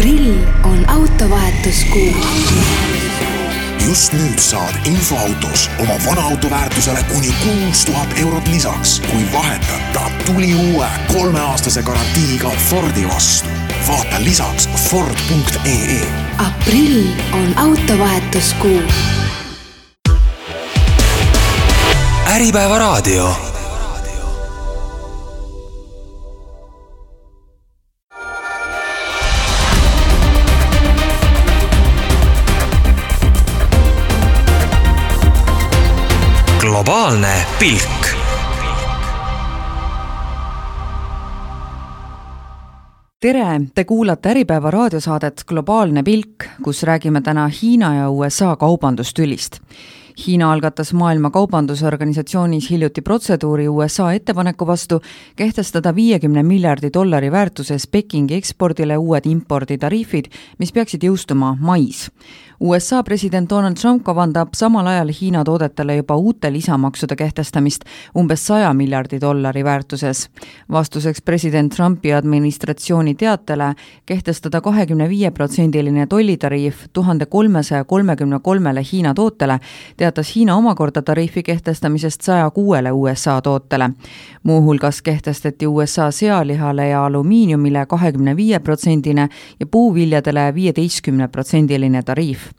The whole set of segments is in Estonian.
Aprill on autovahetuskuu. Just nüüd saad infoautos oma vana auto väärtusele kuni 6000 eurot lisaks, kui vahetad ta tuli uue 3-aastase garantiiga Fordi vastu. Vaata lisaks Ford.ee. Aprill on autovahetuskuu. Äripäeva raadio. Globaalne pilk. Tere, te kuulate Äripäeva raadiosaadet Globaalne pilk, kus räägime täna Hiina ja USA kaubandustülist. Hiina algatas Maailma Kaubandusorganisatsioonis hiljuti protseduuri USA ettepaneku vastu kehtestada $50 miljardi väärtuses Pekingi ekspordile uued imporditariifid, mis peaksid jõustuma mais. USA president Donald Trump kavandab samal ajal Hiina toodetele juba uute lisamaksude kehtestamist umbes $100 miljardi väärtuses. Vastuseks president Trumpi administratsiooni teatele kehtestada 25% tollitariif 1333 Hiina tootele, teatas Hiina omakorda tariifi kehtestamisest 106 USA tootele. Muuhulgas kehtestati USA sealihale ja alumiiniumile 25% ja puuviljadele 15% tariif.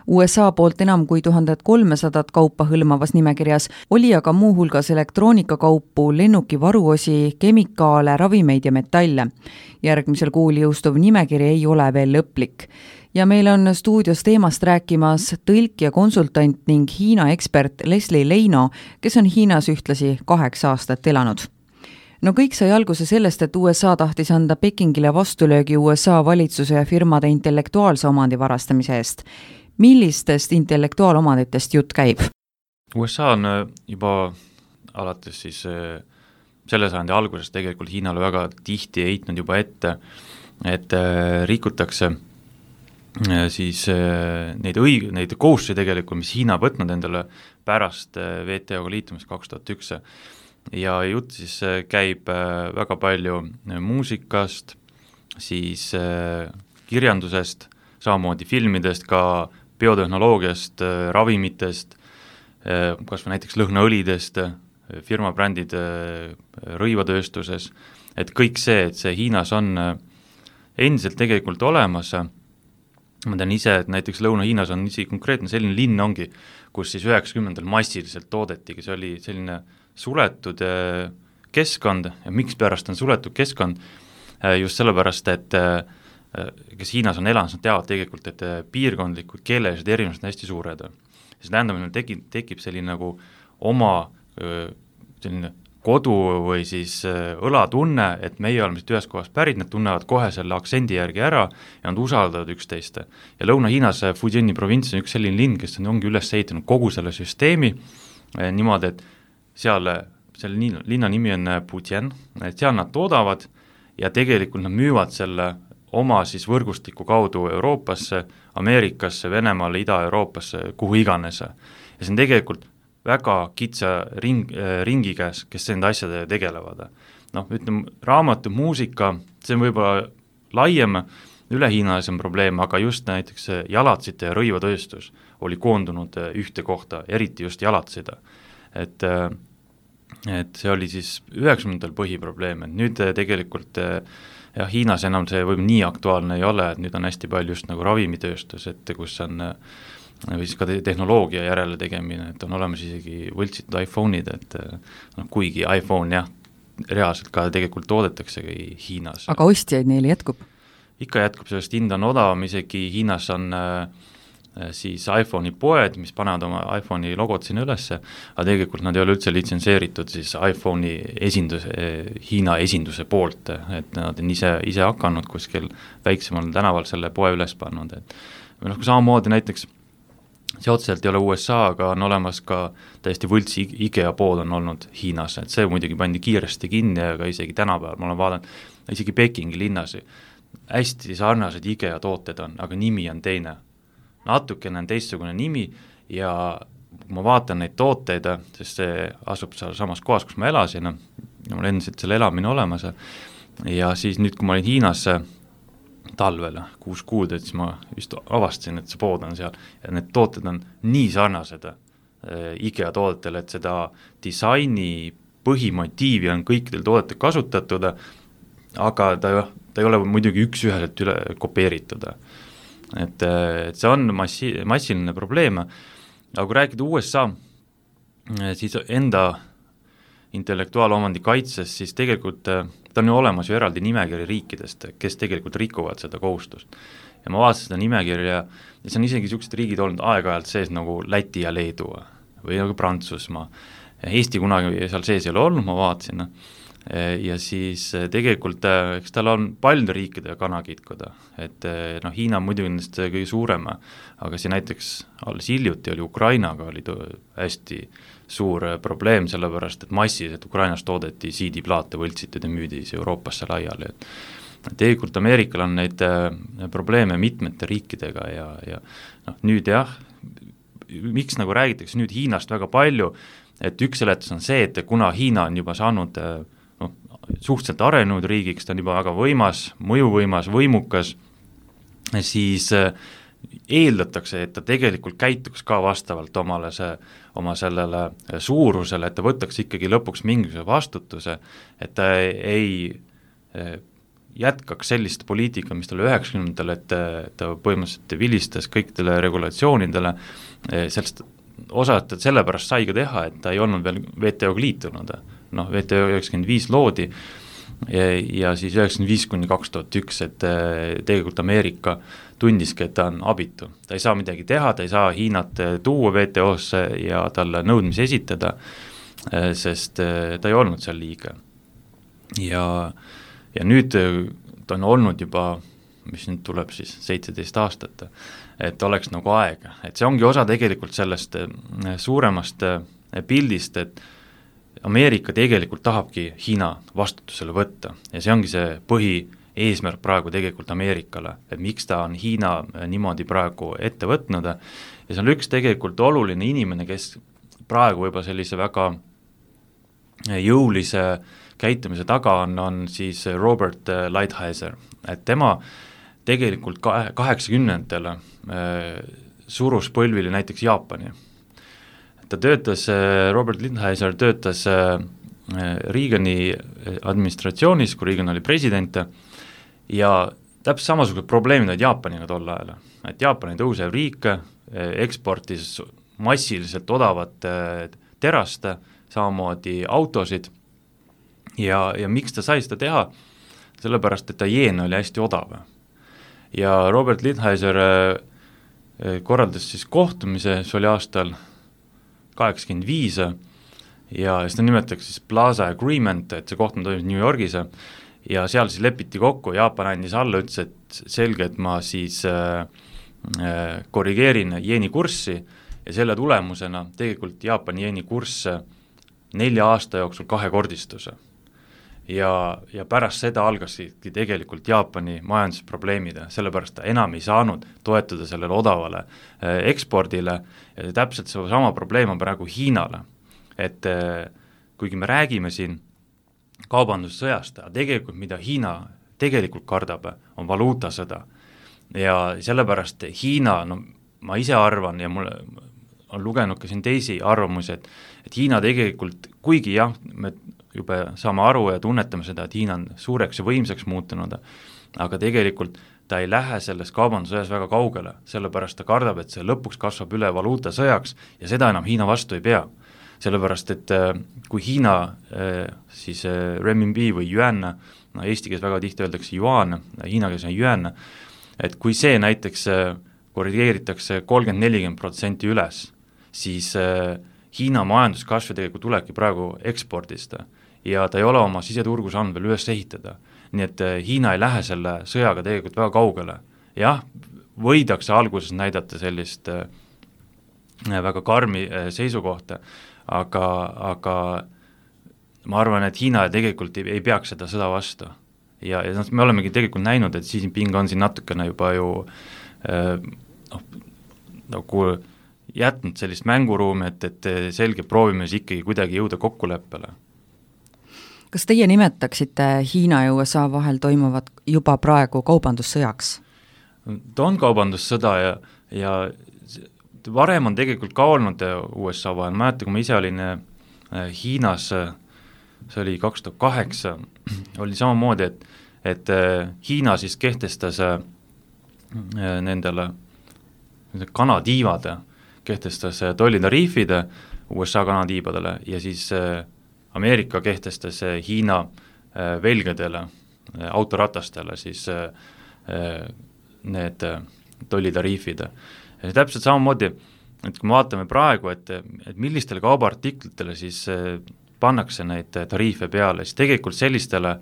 USA poolt enam kui 1300 kaupa hõlmavas nimekirjas oli aga muuhulgas elektroonikakaupu, lennuki varuosi, kemikaale, ravimeid ja metalle. Järgmisel kuul jõustuv nimekiri ei ole veel lõplik. Ja meil on stuudios teemast rääkimas tõlk ja konsultant ning Hiina ekspert Leslie Leino, kes on Hiinas ühtlasi 8 aastat elanud. No kõik sai alguse sellest, et USA tahtis anda Pekingile vastulöögi USA valitsuse ja firmade intellektuaalse omandi varastamise eest. Millistest intellektuaalomanditest jutt käib? USA on juba alates siis selle sajandi alguses tegelikult Hiinale väga tihti heitnud juba ette, et rikutakse siis neid kohustusi tegelikult, mis Hiina võtnud endale pärast WTO-ga liitumist 2001. Ja jutt siis käib väga palju muusikast, siis kirjandusest, samamoodi filmidest, ka biotehnoloogiast, ravimitest, kas või näiteks lõhnaõlidest, firmabrändid rõivatööstuses, et kõik see, et see Hiinas on endiselt tegelikult olemas. Ma tean ise, et näiteks Lõuna-Hiinas on isi konkreetne selline linn ongi, kus siis 90. massiliselt toodetigi, see oli selline suletud keskkond ja miks pärast on suletud keskkond, just sellepärast, et kes Hiinas on elanud, nad teavad tegelikult, et piirkondlikud keelelised erinevused on hästi suured. See tähendab, et tekib selline nagu oma selline kodu või siis õlatunne, et meie oleme siit ühes kohas pärit, nad tunnevad kohe selle aktsendi järgi ära ja nad usaldavad üksteist. Ja Lõuna-Hiinas Fujiani provints on üks selline linn, kes ongi üles ehitanud kogu selle süsteemi niimoodi, et selle linna nimi on Putian, et seal nad toodavad ja tegelikult nad müüvad selle oma siis võrgustiku kaudu Euroopasse, Ameerikasse, Venemaale, Ida-Euroopasse, kuhu iganes. Ja see on tegelikult väga kitsa ringi käes, kes nende asjade tegelevad. Ütleme, raamatu, muusika, see on võib-olla laiem, üle Hiinas on probleem, aga just näiteks jalatsite ja rõivatööstus oli koondunud ühte kohta, eriti just jalatsida. Et see oli siis 90. põhiprobleem, et nüüd tegelikult Hiinas enam see võib nii aktuaalne ei ole, et nüüd on hästi palju just nagu ravimitööstus, et kus on või siis ka tehnoloogia järele tegemine, et on olemas isegi võltsitud iPhone'id, et kuigi iPhone reaalselt ka tegelikult toodetakse Hiinas. Aga ostjaid neil jätkub? Ikka jätkub, sellest hind on odavam, isegi Hiinas on siis iPhone'i poed, mis panevad oma iPhone'i logot sinna ülesse, aga tegelikult nad ei ole üldse litsenseeritud siis iPhone'i Hiina esinduse poolt, et nad on ise hakanud kuskil väiksemal tänaval selle poe üles pannud. Või kui samamoodi näiteks see otseselt ei ole USA, aga on olemas ka täiesti võltsi IKEA pood on olnud Hiinas, et see muidugi pandi kiiresti kinni, aga isegi tänapäeval ma olen vaadanud, isegi Pekingi linnas hästi sarnased IKEA tooted on, aga nimi on teine. Natukene on teistsugune nimi ja kui ma vaatan neid tooteid, sest see asub seal samas kohas, kus ma elasin, ja mul endiselt selle elamine olemas, ja siis nüüd, kui ma olin Hiinas talvel 6 kuud, et siis ma vist avastasin, et see pood on seal ja need tooted on nii sarnased IKEA toodetele, et seda disaini põhimotiivi on kõikidel toodetel kasutatud, aga ta ei ole muidugi üks-üheselt üle kopeeritud. Et see on massiline probleem, aga kui rääkida USA, siis enda intellektuaalomandi kaitses, siis tegelikult ta on ju olemas ju eraldi nimekiri riikidest, kes tegelikult rikuvad seda kohustust. Ja ma vaatasin seda nimekirja ja see on isegi niisugused riigid olnud aeg-ajalt sees nagu Läti ja Leedu või nagu Prantsusmaa. Eesti kunagi seal sees ei ole olnud, ma vaatasin. Ja siis tegelikult, eks tal on paljude riikide kanakitkuda, et Hiina on muidugi nendest kõige suurem, aga see näiteks alles hiljuti oli Ukrainaga oli hästi suur probleem, sellepärast et massiliselt Ukrainas toodeti CD-plaate võltsitud ja müüdi Euroopasse laiali, et tegelikult Ameerikal on neid probleeme mitmete riikidega ja nüüd miks nagu räägitakse nüüd Hiinast väga palju, et üks seletus on see, et kuna Hiina on juba saanud suhteliselt arenenud riigiks, ta on juba väga võimas, mõjuvõimas, võimukas, siis eeldatakse, et ta tegelikult käituks ka vastavalt oma sellele suurusele, et ta võtaks ikkagi lõpuks mingisuguse vastutuse, et ta ei jätkaks sellist poliitika, mis talle 90-ndatel, et ta põhimõtteliselt vilistas kõikidele regulatsioonidele, sellest osalt, et sellepärast sai ka teha, et ta ei olnud veel WTO-ga liitunud, WTO 95 loodi ja siis 95–2001, et tegelikult Ameerika tundiski, et ta on abitu. Ta ei saa midagi teha, ta ei saa Hiinat tuua WTO-sse ja talle nõudmisi esitada, sest ta ei olnud seal liige. Ja nüüd ta on olnud juba, mis nüüd tuleb siis 17 aastat, et oleks nagu aeg, et see ongi osa tegelikult sellest suuremast pildist, et Ameerika tegelikult tahabki Hiina vastutusele võtta ja see ongi see põhieesmärk praegu tegelikult Ameerikale, et miks ta on Hiina niimoodi praegu ette võtnud ja see on üks tegelikult oluline inimene, kes praegu juba sellise väga jõulise käitumise taga on siis Robert Lighthizer, et tema tegelikult 80-ndatel surus põlvili näiteks Jaapani. Ta töötas, Robert Lighthizer töötas Reagani administratsioonis, kui Reagan oli president ja täpselt samasugused probleemid olid Jaapaniga tol ajal, et Jaapani tõusev riik eksportis massiliselt odavat terast, samamoodi autosid ja miks ta sai seda teha? Sellepärast, et ta jeen oli hästi odav. Ja Robert Lighthizer korraldas siis kohtumise, see oli aastal 85 ja seda nimetatakse siis Plaza Agreement, et see kohtumine toimus New Yorgis ja seal siis lepiti kokku, Jaapan andis alla, ütles, et selge, et ma siis korrigeerin jeeni kurssi ja selle tulemusena tegelikult Jaapani jeeni kurss 4 aasta jooksul 2-kordistus. Ja pärast seda algasidki tegelikult Jaapani majandusprobleemid, sellepärast ta enam ei saanud toetuda sellele odavale ekspordile ja täpselt sama probleem on praegu Hiinale, et kuigi me räägime siin kaubandussõjast, tegelikult mida Hiina tegelikult kardab, on valuutasõda ja sellepärast Hiina, ma ise arvan ja mul on lugenud ka siin teisi arvamusi, et Hiina tegelikult, kuigi jah, me juba saame aru ja tunnetame seda, et Hiina on suureks ja võimsaks muutunud, aga tegelikult ta ei lähe selles kaubandussõjas väga kaugele, sellepärast ta kardab, et see lõpuks kasvab üle valuutasõjaks ja seda enam Hiina vastu ei pea. Sellepärast, et kui Hiina siis renminbi või yuan, eesti keeles väga tihti öeldakse yuan, Hiina keeles on yuan, et kui see näiteks korrigeeritakse 30-40% üles, siis Hiina majanduskasv tegelikult tulebki praegu ekspordist ja ta ei ole oma siseturgu saanud veel üles ehitada. Nii et Hiina ei lähe selle sõjaga tegelikult väga kaugele. Jah, võidakse alguses näidata sellist väga karmi seisukohta, aga ma arvan, et Hiina tegelikult ei peaks seda sõda vastu. Ja me olemegi tegelikult näinud, et Xi Jinping on siin natukene juba ju nagu jätnud sellist mänguruumi, et selge proovime siis ikkagi kuidagi jõuda kokkuleppele. Kas teie nimetaksite Hiina ja USA vahel toimuvat juba praegu kaubandussõjaks? Ta on kaubandussõda ja varem on tegelikult ka olnud USA vahel, mäletan, kui ma ise olin Hiinas, see oli 2008, oli samamoodi, et Hiina siis kehtestas nendele kanatiivade, kehtestas tollitariifid USA kanatiibadele ja siis Ameerika kehtestas Hiina velgedele, autoratastele siis need tollitariifid. Ja täpselt samamoodi, et kui me vaatame praegu, et millistele kaubaartiklitele siis pannakse neid tariife peale, siis tegelikult sellistele,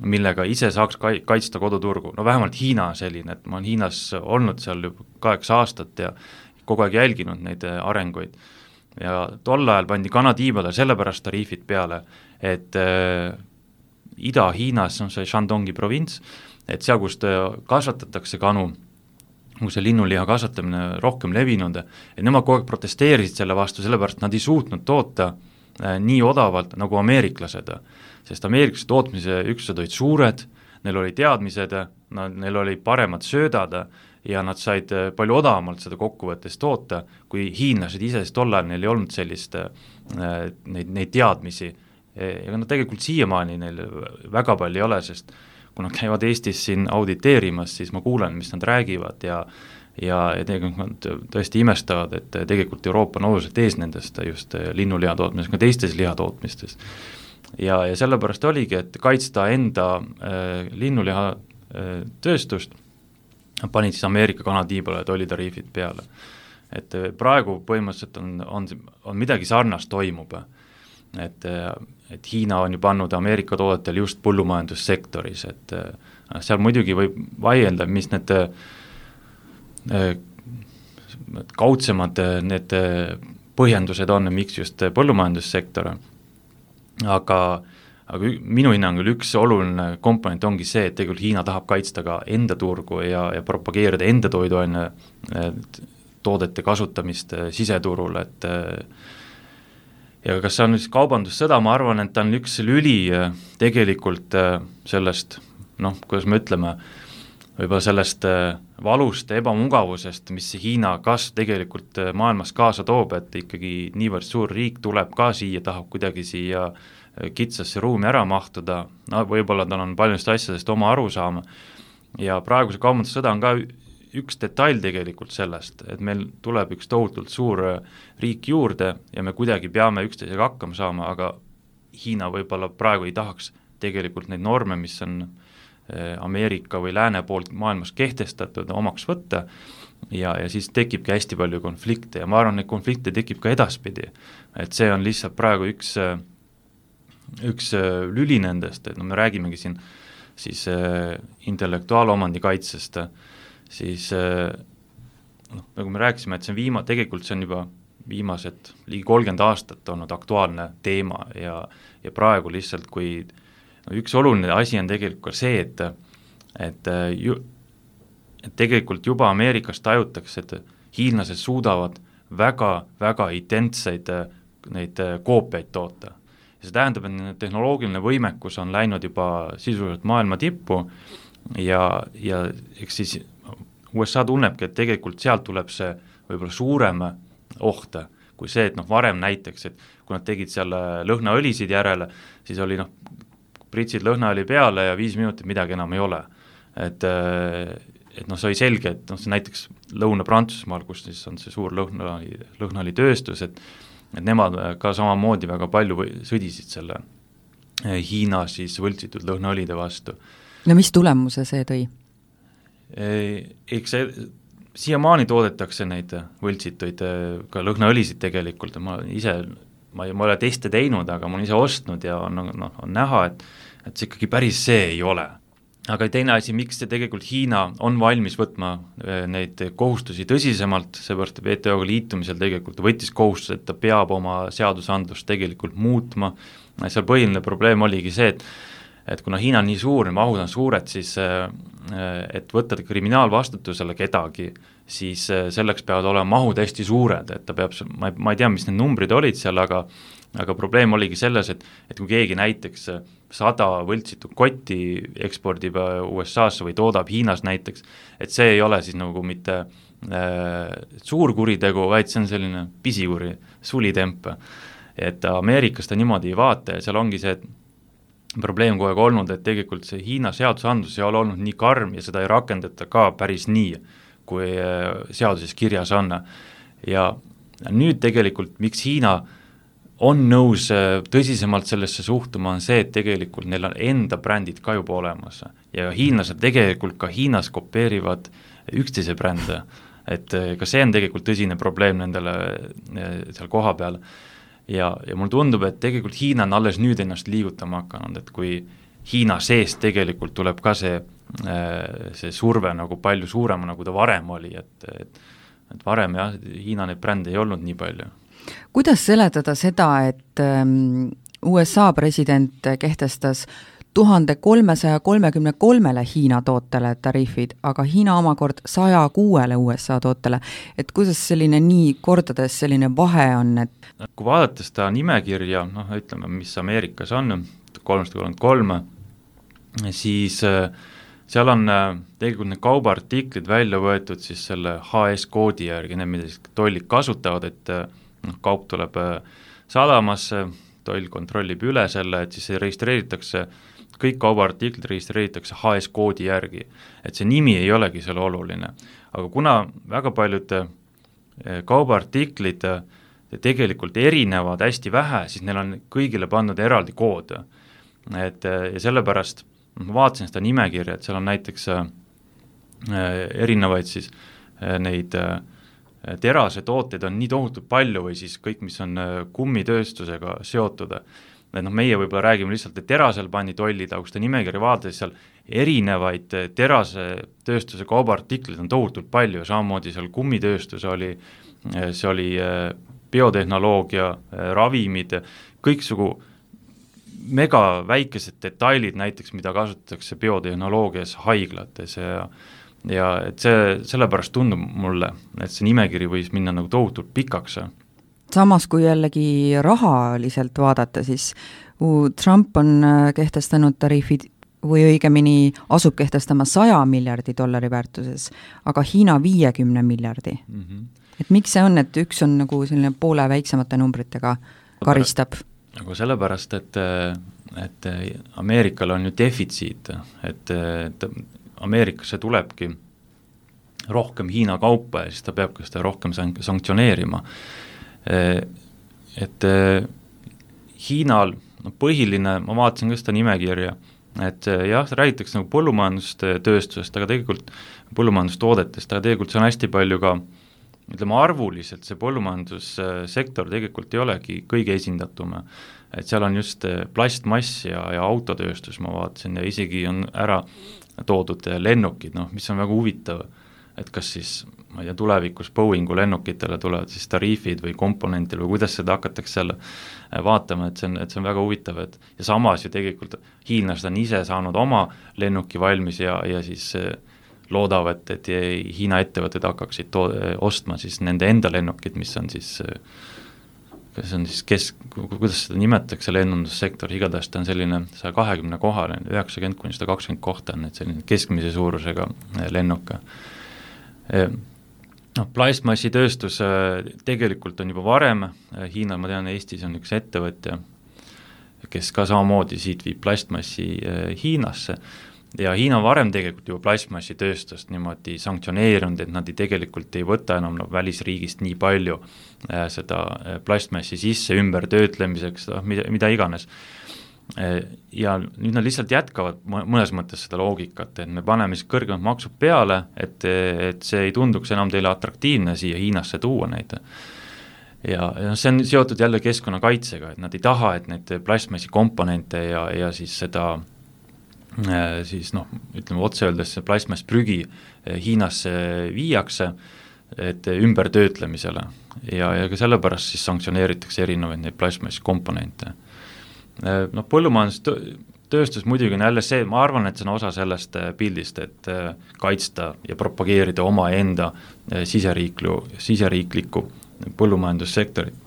millega ise saaks kaitsta koduturgu. No vähemalt Hiina on selline, et ma olen Hiinas olnud seal juba 8 aastat ja kogu aeg jälginud neid arenguid. Ja tol ajal pandi kanatiibadele sellepärast tariifid peale, et Ida-Hiinas on see Shandongi provints, et seal, kus kasvatatakse kanu, kus see linnuliha kasvatamine rohkem levinud, et nemad kogu aeg protesteerisid selle vastu, sellepärast nad ei suutnud toota nii odavalt nagu ameeriklased, sest ameeriklaste tootmise üksused olid suured, neil oli teadmised, neil oli paremad söödad ja nad said palju odavamalt seda kokkuvõttes toota, kui hiinlased ise, sest tol ajal neil ei olnud sellist neid teadmisi. Ja nad tegelikult siiamaani neil väga palju ei ole, sest kui nad käivad Eestis siin auditeerimas, siis ma kuulen, mis nad räägivad ja tegelikult nad tõesti imestavad, et tegelikult Euroopa on oluliselt ees nendest just linnuliha tootmisest, ka teistes lihatootmistes. Ja sellepärast oligi, et kaitsta enda linnuliha tööstust, panid siis Ameerika kanatiibale tollitariifid peale. Et praegu põhimõtteliselt on midagi sarnast toimub, et Hiina on ju pannud Ameerika toodetel just põllumajandussektoris, et seal muidugi võib vaielda, mis need kaudsemad need põhjendused on, miks just põllumajandussektor, aga minu hinnangul üks oluline komponent ongi see, et tegelikult Hiina tahab kaitsta ka enda turgu ja propageerida enda toiduaine toodete kasutamist siseturul, et ja kas see on nüüd kaubandussõda, ma arvan, et ta on üks lüli tegelikult sellest, kuidas me ütleme, võib-olla sellest valust ja ebamugavusest, mis Hiina kasv tegelikult maailmas kaasa toob, et ikkagi niivõrd suur riik tuleb ka siia, tahab kuidagi siia kitsasse ruumi ära mahtuda, võib-olla tal on paljudest asjadest oma arusaama ja praeguse kaubandussõda on ka üks detail tegelikult sellest, et meil tuleb üks tohutult suur riik juurde ja me kuidagi peame üksteisega hakkama saama, aga Hiina võib-olla praegu ei tahaks tegelikult neid norme, mis on Ameerika või lääne poolt maailmas kehtestatud omaks võtta ja siis tekibki hästi palju konflikte ja ma arvan, et konflikte tekib ka edaspidi, et see on lihtsalt praegu üks lüli nendest, et me räägimegi siin siis intellektuaalomandi kaitsest, siis nagu me rääkisime, et see on tegelikult see on juba viimased ligi 30 aastat olnud aktuaalne teema ja praegu lihtsalt, kui üks oluline asi on tegelikult ka see, et tegelikult juba Ameerikas tajutakse, et hiinlased suudavad väga identseid neid koopiaid toota. Ja see tähendab, et tehnoloogiline võimekus on läinud juba sisuliselt maailma tippu ja eks siis USA tunnebki, et tegelikult sealt tuleb see võib-olla suurem oht, kui see, et varem näiteks, et kui nad tegid seal lõhnaõlisid järele, siis oli pritsid lõhnaõli peale ja 5 minutit midagi enam ei ole. Et see oli selge, et see näiteks Lõuna-Prantsusmaal, kus siis on see suur lõhnaõli tööstus, et nemad ka samamoodi väga palju sõdisid selle Hiina siis võltsitud lõhnaõlide vastu. No mis tulemuse see tõi? Eks siiamaani toodetakse neid võltsituid ka lõhnaõlisid tegelikult, ma ei ole teste teinud, aga ma olen ise ostnud ja on näha, et see ikkagi päris see ei ole. Aga teine asi, miks see tegelikult Hiina on valmis võtma neid kohustusi tõsisemalt, seepärast WTO-ga liitumisel tegelikult võttis kohustus, et ta peab oma seadusandlust tegelikult muutma. Seal põhiline probleem oligi see, et kuna Hiina on nii suur, mahud on suured, siis et võtta kriminaalvastutusele kedagi, siis selleks peavad olema mahud hästi suured, et ta peab, ma ei tea, mis need numbrid olid seal, aga probleem oligi selles, et kui keegi näiteks 100 võltsitud kotti ekspordib USA-sse või toodab Hiinas näiteks, et see ei ole siis nagu mitte suur kuritegu, vaid see on selline pisikuri, sulitemp. Et Ameerikas ta niimoodi ei vaata ja seal ongi see probleem kogu aeg olnud, et tegelikult see Hiina seadusandlus ei ole olnud nii karm ja seda ei rakendata ka päris nii, kui seaduses kirjas on. Ja nüüd tegelikult, miks Hiina on nõus tõsisemalt sellesse suhtuma, on see, et tegelikult neil on enda brändid ka juba olemas ja hiinlased tegelikult ka Hiinas kopeerivad üksteise brände, et ka see on tegelikult tõsine probleem nendele seal koha peal. Ja mulle tundub, et tegelikult Hiina on alles nüüd ennast liigutama hakanud, et kui Hiina seest tegelikult tuleb ka see surve nagu palju suurema, nagu ta varem oli, et varem jah, Hiina neid brände ei olnud nii palju. Kuidas seletada seda, et USA president kehtestas 1333 Hiina tootele tariifid, aga Hiina omakord 106 USA tootele, et kuidas selline nii kordades selline vahe on, et kui vaadata seda nimekirja, ütleme, mis Ameerikas on, 333, siis seal on tegelikult need kaubaartiklid välja võetud siis selle HS-koodi järgi, need mida tollid kasutavad, et kaup tuleb sadamasse, toll kontrollib üle selle, et siis registreeritakse, kõik kaubaartiklid registreeritakse HS-koodi järgi, et see nimi ei olegi seal oluline. Aga kuna väga paljud kaubaartiklid tegelikult erinevad hästi vähe, siis neil on kõigile pandud eraldi kood. Ja sellepärast ma vaatasin seda nimekirja, et seal on näiteks erinevaid siis neid terase tooteid on nii tohutult palju või siis kõik, mis on kummitööstusega seotud. Meie võib-olla räägime lihtsalt, et terasel pandi tollid, aga kui seda nimekirja vaadates seal erinevaid terase tööstuse kaubaartiklid on tohutult palju, samamoodi seal kummitööstus oli, see oli biotehnoloogia, ravimid, kõiksugu mega väikesed detailid näiteks, mida kasutatakse biotehnoloogias haiglates ja et see sellepärast tundub mulle, et see nimekiri võis minna nagu tohutult pikaks. Samas kui jällegi rahaliselt vaadata, siis Trump on kehtestanud tariifid või õigemini asub kehtestama $100 miljardi väärtuses, aga Hiina 50 miljardi. Et miks see on, et üks on nagu selline poole väiksemate numbritega karistab? Nagu sellepärast, et Ameerikal on ju defitsiit, et Ameerikasse tulebki rohkem Hiina kaupa ja siis ta peab ka seda rohkem sanktsioneerima. Et Hiinal põhiline, ma vaatasin ka seda nimekirja, et jah, räägitakse nagu põllumajandustööstusest, aga tegelikult põllumajandustoodetest, aga tegelikult see on hästi palju ka, ütleme arvuliselt, see põllumajandussektor tegelikult ei olegi kõige esindatum, et seal on just plastmass ja autotööstus, ma vaatasin, ja isegi on ära toodud lennukid, mis on väga huvitav, et kas siis, ma ei tea, tulevikus Boeingu lennukitele tulevad siis tariifid või komponentid või kuidas seda hakatakse seal vaatama, et see on väga huvitav, et ja samas ju tegelikult hiinlased on ise saanud oma lennuki valmis ja siis loodavad, et Hiina ettevõtted hakkaksid ostma siis nende enda lennukid, mis on siis, kuidas seda nimetatakse lennundussektor, igatahes ta on selline 120 kohal, 90–120 kohta on need selline keskmise suurusega lennuk. Plastmassitööstus tegelikult on juba varem, Hiina, ma tean, Eestis on üks ettevõtja, kes ka samamoodi siit viib plastmassi Hiinasse ja Hiina varem tegelikult juba plastmassitööstust niimoodi sanktsioneerinud, et nad tegelikult ei võta enam välisriigist nii palju seda plastmassi sisse ümber töötlemiseks, mida iganes. Ja nüüd nad lihtsalt jätkavad mõnes mõttes seda loogikat, et me paneme siis kõrgemad maksud peale, et see ei tunduks enam teile atraktiivne siia Hiinasse tuua neid. Ja see on seotud jälle keskkonnakaitsega, et nad ei taha, et need plastmassi komponente ja siis seda siis ütleme otse öeldes plastmass prügi Hiinasse viiakse, et ümber töötlemisele ja ka sellepärast siis sanktsioneeritakse erinevaid neid plastmassi komponente. Põllumajandustööstus tööstus muidugi on jälle see, ma arvan, et see on osa sellest pildist, et kaitsta ja propageerida oma enda siseriiklikku põllumajandussektorit.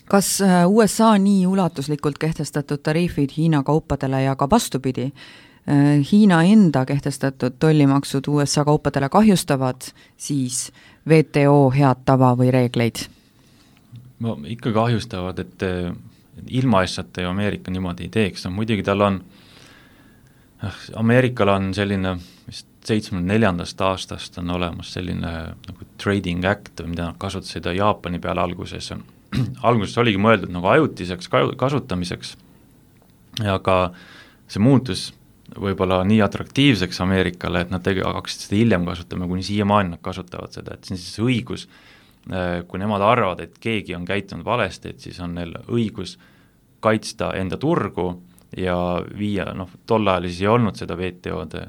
Kas USA nii ulatuslikult kehtestatud tariifid Hiina kaupadele ja ka vastupidi, Hiina enda kehtestatud tollimaksud USA kaupadele kahjustavad siis WTO head tava või reegleid? No ikka kahjustavad, et ilmaasjata ju Ameerika niimoodi ei teeks, no muidugi tal on, Ameerikal on selline, vist 74. aastast on olemas selline nagu Trading Act, mida nad kasutasid Jaapani peale alguses. Alguses oligi mõeldud nagu ajutiseks kasutamiseks, aga see muutus võib-olla nii atraktiivseks Ameerikale, et nad hakkasid seda hiljem kasutama, kuni siiamaani nad kasutavad seda, et see on siis õigus, kui nemad arvavad, et keegi on käitunud valesti, et siis on neil õigus kaitsta enda turgu ja viia, tol ajal siis ei olnud seda WTO-d,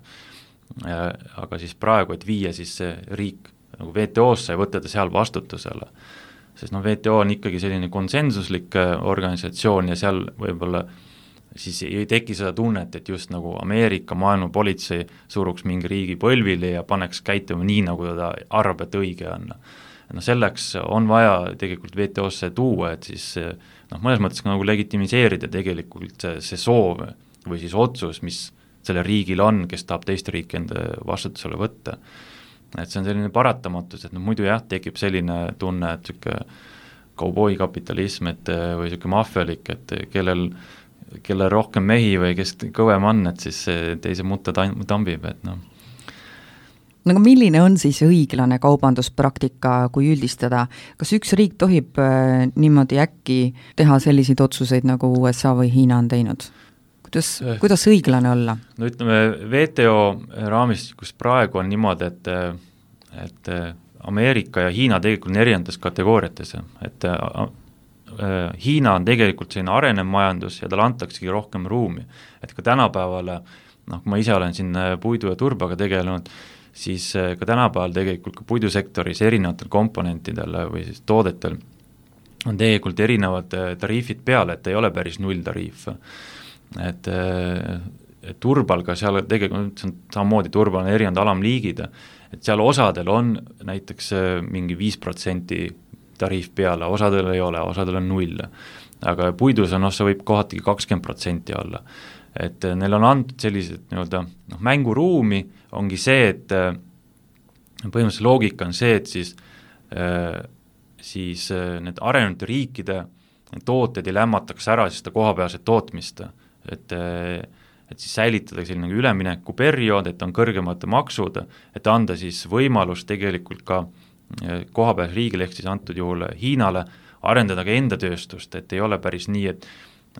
aga siis praegu, et viia siis see riik nagu WTO-sse ja võtta ta seal vastutusele. Sest WTO on ikkagi selline konsensuslik organisatsioon ja seal võib-olla siis ei teki seda tunnet, et just nagu Ameerika maailmapolitsei suruks mingi riigi põlvili ja paneks käituma nii, nagu ta arvab, et õige on. Selleks on vaja tegelikult WTO-sse tuua, et siis mõnes mõttes nagu legitimiseerida tegelikult see soov või siis otsus, mis selle riigil on, kes tahab teiste riiki enda vastutusele võtta. Et see on selline paratamatus, et muidu jah, tekib selline tunne, et selline kauboikapitalism või selline maffialik, et kellel rohkem mehi või kes kõvem on, et siis teise mutta tambib, et Aga milline on siis õiglane kaubanduspraktika, kui üldistada? Kas üks riik tohib niimoodi äkki teha selliseid otsuseid, nagu USA või Hiina on teinud? Kuidas õiglane olla? No ütleme, WTO raamistikus praegu on niimoodi, et Ameerika ja Hiina tegelikult on erinevates kategooriates, et Hiina on tegelikult selline arenev majandus ja tal antaksegi rohkem ruumi, et ka tänapäevale, kui ma ise olen siin puidu ja turbaga tegelenud, siis ka tänapäeval tegelikult ka puidusektoris erinevatel komponentidel või siis toodetel on tegelikult erinevad tariifid peale, et ei ole päris nulltariif. Et turbal ka seal tegelikult samamoodi turbal on erinevad alamliigid, et seal osadel on näiteks mingi 5% tariif peale, osadel ei ole, osadel on 0. Aga puidus on, see võib kohatigi 20% olla. Et neil on antud sellised mänguruumi, ongi see, et põhimõtteliselt loogika on see, et siis need arenenud riikide tooted ei lämmataks ära siis seda kohapealset tootmist, et siis säilitada selline üleminekuperiood, et on kõrgemad maksud, et anda siis võimalus tegelikult ka kohapeal riigile, ehk siis antud juhul Hiinale, arendada ka enda tööstust, et ei ole päris nii,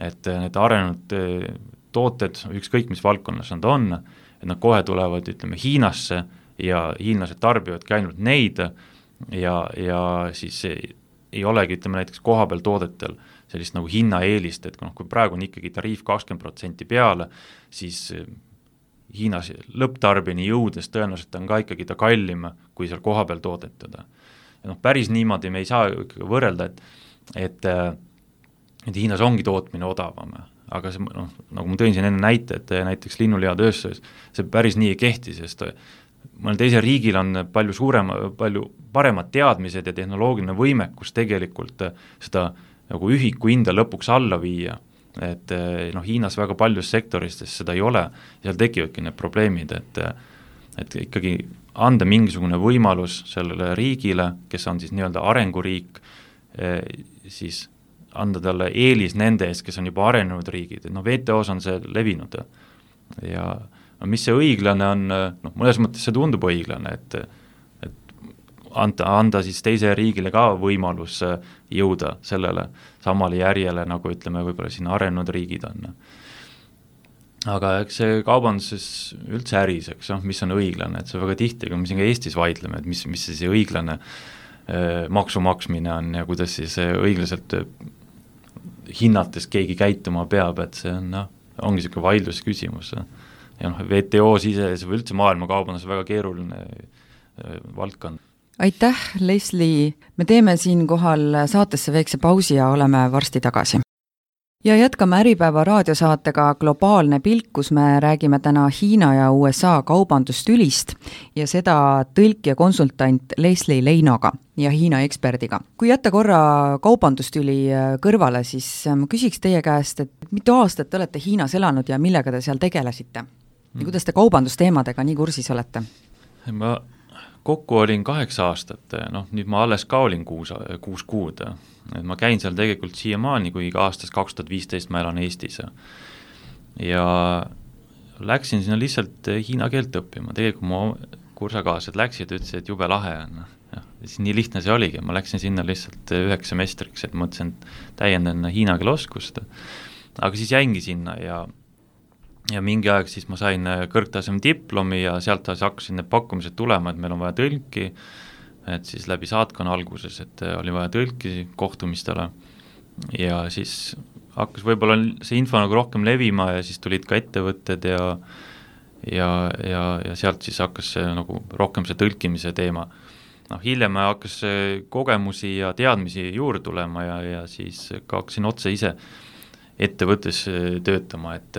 et need arenenud tooted, ükskõik mis valdkonnas nad on, et nad kohe tulevad, ütleme, Hiinasse ja hiinlased tarbivadki ainult neid ja siis ei olegi, ütleme, näiteks kohapeal toodetel sellist nagu hinnaeelist, et kui praegu on ikkagi tariif 20% peale, siis Hiinas lõpptarbini jõudes tõenäoliselt on ka ikkagi ta kallim, kui seal kohapeal toodetada. Ja päris niimoodi me ei saa võrrelda, et Hiinas ongi tootmine odavam, aga see, nagu ma tõin siin enne näite, et näiteks linnulihatööstuses see päris nii ei kehti, sest mõnel teisel riigil on palju paremad teadmised ja tehnoloogiline võimekus tegelikult seda nagu ühiku hinda lõpuks alla viia, et Hiinas väga paljus sektoristes seda ei ole, seal tekivadki need probleemid, et ikkagi anda mingisugune võimalus sellele riigile, kes on siis nii-öelda arenguriik, siis anda talle eelis nende ees, kes on juba arenenud riigid, et WTO-s on see levinud ja mis see õiglane on, mõnes mõttes see tundub õiglane, et anda siis teise riigile ka võimalus jõuda sellele samale järjele, nagu ütleme, võib-olla siin arenenud riigid on. Aga eks see kaubanduses üldse äris, mis on õiglane, et see väga tihti, kui me siin ka Eestis vaidleme, et mis see õiglane maksu maksmine on ja kuidas siis õiglaselt hinnates keegi käituma peab, et see on, ongi selline vaidlusküsimus. Ja WTO sises või üldse maailmakaubandus väga keeruline valdkond. Aitäh, Leslie! Me teeme siinkohal saatesse väikse pausi ja oleme varsti tagasi. Ja jätkame Äripäeva raadiosaatega Globaalne pilk, kus me räägime täna Hiina ja USA kaubandustülist ja seda tõlk ja konsultant Leslie Leinoga ja Hiina eksperdiga. Kui jätta korra kaubandustüli kõrvale, siis ma küsiks teie käest, et mitu aastat te olete Hiinas elanud ja millega te seal tegelesite? Ja kuidas te kaubandusteemadega nii kursis olete? Ma kokku olin 8 aastat, nüüd ma alles ka olin 6 kuud. Et ma käin seal tegelikult siiamaani, kui aastast 2015 ma elan Eestis. Ja läksin sinna lihtsalt hiina keelt õppima. Tegelikult mu kursakaased läksid, ütlesid, et jube lahe on. Ja, nii lihtne see oligi. Ma läksin sinna lihtsalt 1 semestriks, et mõtlesin, täiendan hiina keele oskust. Aga siis jäingi sinna ja mingi aeg siis ma sain kõrgtaseme diplomi ja sealt hakkasin need pakkumised tulema, et meil on vaja tõlki, et siis läbi saatkonna alguses, et oli vaja tõlki kohtumistele ja siis hakkas võib-olla see info nagu rohkem levima ja siis tulid ka ettevõtted ja sealt siis hakkas see nagu rohkem see tõlkimise teema. Hiljem hakkas kogemusi ja teadmisi juurde tulema ja siis ka hakkasin otse ise ettevõttes töötama, et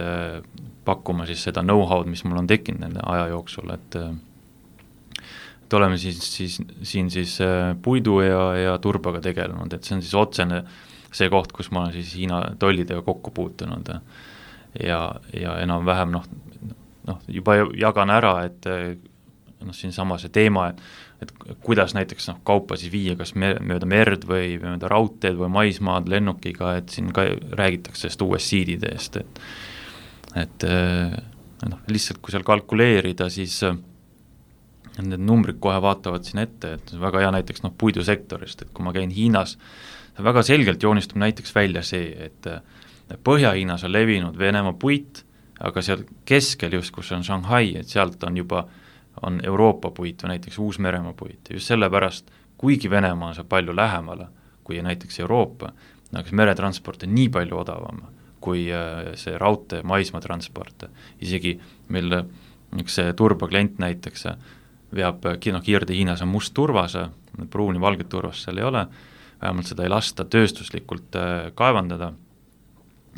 pakkuma siis seda know-how'd, mis mul on tekkinud nende aja jooksul, et oleme siin puidu ja turbaga tegelenud, et see on siis otsene see koht, kus ma olen siis Hiina tollidega kokku puutunud ja enam-vähem juba jagan ära, et siin sama see teema, et kuidas näiteks kaupa siis viia kas mööda merd või mööda raudteed või maismaad lennukiga, et siin ka räägitakse sellest USCD-dest, et lihtsalt kui seal kalkuleerida, siis need numbrid kohe vaatavad siin ette, et väga hea näiteks puidusektorist, et kui ma käin Hiinas, väga selgelt joonistub näiteks välja see, et Põhja-Hiinas on levinud Venemaa puit, aga seal keskel just, kus on Shanghai, et sealt on Euroopa puit või näiteks Uus-Meremaa puit. Just sellepärast, kuigi Venemaa on seal palju lähemale kui näiteks Euroopa, aga meretransport on nii palju odavam kui see raudtee maismaatransport. Isegi meil üks turba klient näiteks veab Kiirde Hiinas on must turvas, pruuni valget turvas seal ei ole, vähemalt seda ei lasta tööstuslikult kaevandada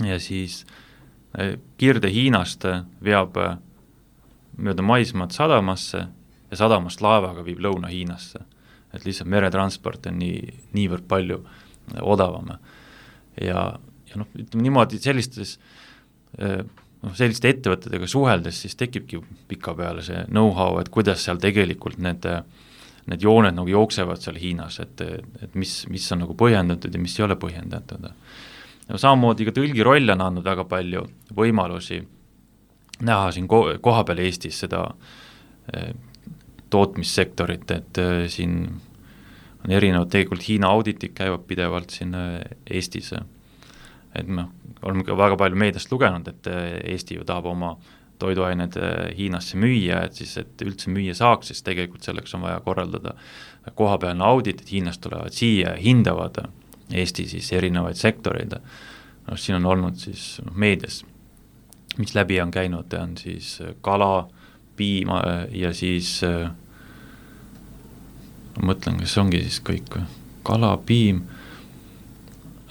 ja siis Kiirde Hiinast veab mööda maismaad sadamasse ja sadamast laevaga viib Lõuna-Hiinasse, et lihtsalt meretransport on niivõrd palju odavam ja ütleme niimoodi selliste ettevõtetega suheldes siis tekibki pika peale see know-how, et kuidas seal tegelikult need jooned nagu jooksevad seal Hiinas, et mis on nagu põhjendatud ja mis ei ole põhjendatud. Ja samamoodi ka tõlgi roll on andnud väga palju võimalusi näha siin koha peal Eestis seda tootmissektorit, et siin on erinevad tegelikult Hiina auditid käivad pidevalt siin Eestis. Et me oleme ka väga palju meediast lugenud, et Eesti ju tahab oma toiduained Hiinasse müüa, et siis, et üldse müüa saaks, siis tegelikult selleks on vaja korraldada kohapealne audit, et Hiinast tulevad siia ja hindavad Eesti siis erinevaid sektoreid. Siin on olnud siis meedias, mis läbi on käinud, on siis kala, piim ja siis mõtlen, kas ongi siis kõik kala, piim,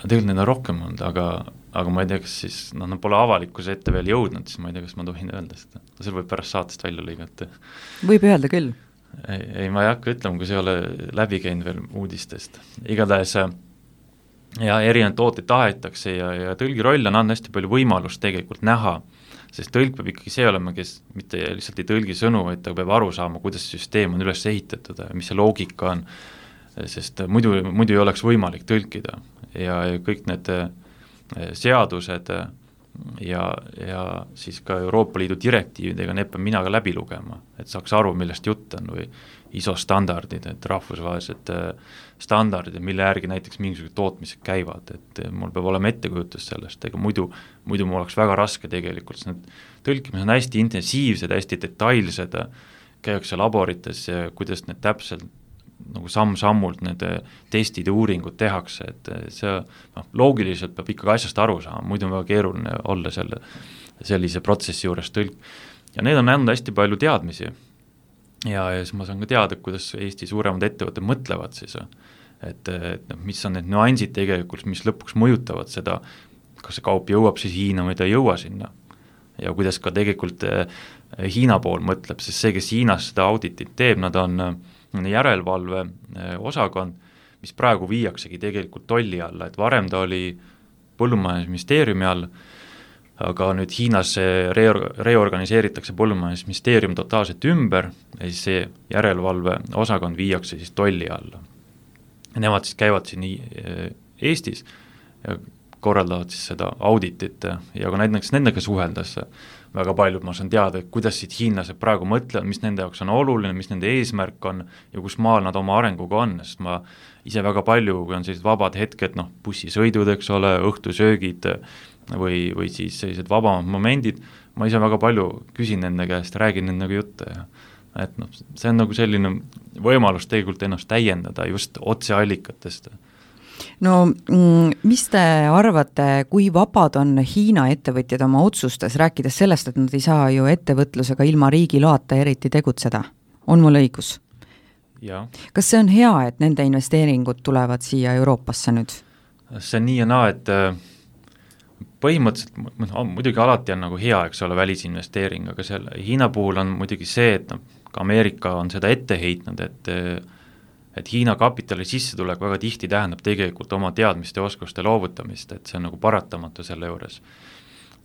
tegelikult neid on rohkem olnud, aga ma ei tea, kas siis, nad pole avalikkuse ette veel jõudnud, siis ma ei tea, kas ma tohin öelda seda. See võib pärast saatest välja lõigata. Võib öelda küll. Ei, ma ei hakka ütlema, kui see ei ole läbi käinud veel uudistest. Igatahes ja erinevad tooteid tahetakse ja tõlgi roll on anda hästi palju võimalust tegelikult näha, sest tõlk peab ikkagi see olema, kes mitte lihtsalt ei tõlgi sõnu, vaid ta peab aru saama, kuidas süsteem on üles ehitatud ja mis see loogika on, sest muidu ei oleks võimalik tõlkida ja kõik need seadused ja siis ka Euroopa Liidu direktiividega need peab mina ka läbi lugema, et saaks aru, millest jutt on või ISO standardid, et rahvusvahelised standardid, mille järgi näiteks mingisugused tootmised käivad, et mul peab olema ettekujutus sellest, ega muidu mul oleks väga raske tegelikult, sest need tõlkimised on hästi intensiivsed, hästi detailsed, käiakse laborites ja kuidas need täpselt nagu samm-sammult need testid ja uuringud tehakse, et see loogiliselt peab ikkagi asjast aru saama, muidu on väga keeruline olla sellise protsessi juures tõlk. Ja need on andnud hästi palju teadmisi ja siis ma saan ka teada, kuidas Eesti suuremad ettevõtted mõtlevad siis, et mis on need nüansid tegelikult, mis lõpuks mõjutavad seda kas see kaup jõuab siis Hiina või ta ei jõua sinna. Ja kuidas ka tegelikult Hiina pool mõtleb, sest see, kes Hiinas seda auditit teeb, nad on järelevalve osakond, mis praegu viiaksegi tegelikult tolli alla, et varem ta oli põllumajandusministeeriumi all, aga nüüd Hiinas reorganiseeritakse põllumajandusministeerium totaalselt ümber ja siis see järelevalve osakond viiakse siis tolli alla. Nemad siis käivad siin Eestis ja korraldavad siis seda auditit ja ka näiteks nendega suheldes väga paljud ma saan teada, kuidas siit hiinlased praegu mõtlevad, mis nende jaoks on oluline, mis nende eesmärk on ja kus maal nad oma arenguga on, sest ma ise väga palju, kui on sellised vabad hetked, bussisõidud, eks ole, õhtusöögid või siis sellised vabamad momendid, ma ise väga palju küsin nende käest, räägin nendega jutte ja et see on nagu selline võimalus tegelikult ennast täiendada just otseallikatest. No mis te arvate, kui vabad on Hiina ettevõtjad oma otsustes, rääkides sellest, et nad ei saa ju ettevõtlusega ilma riigi loata eriti tegutseda? On mul õigus? Ja. Kas see on hea, et nende investeeringud tulevad siia Euroopasse nüüd? See on nii ja naa, et põhimõtteliselt muidugi alati on nagu hea, eks ole, välisinvesteering, aga selle Hiina puhul on muidugi see, et ka Ameerika on seda ette heitnud, et Hiina kapitali sissetulek väga tihti tähendab tegelikult oma teadmiste ja oskuste loovutamist, et see on nagu paratamatu selle juures.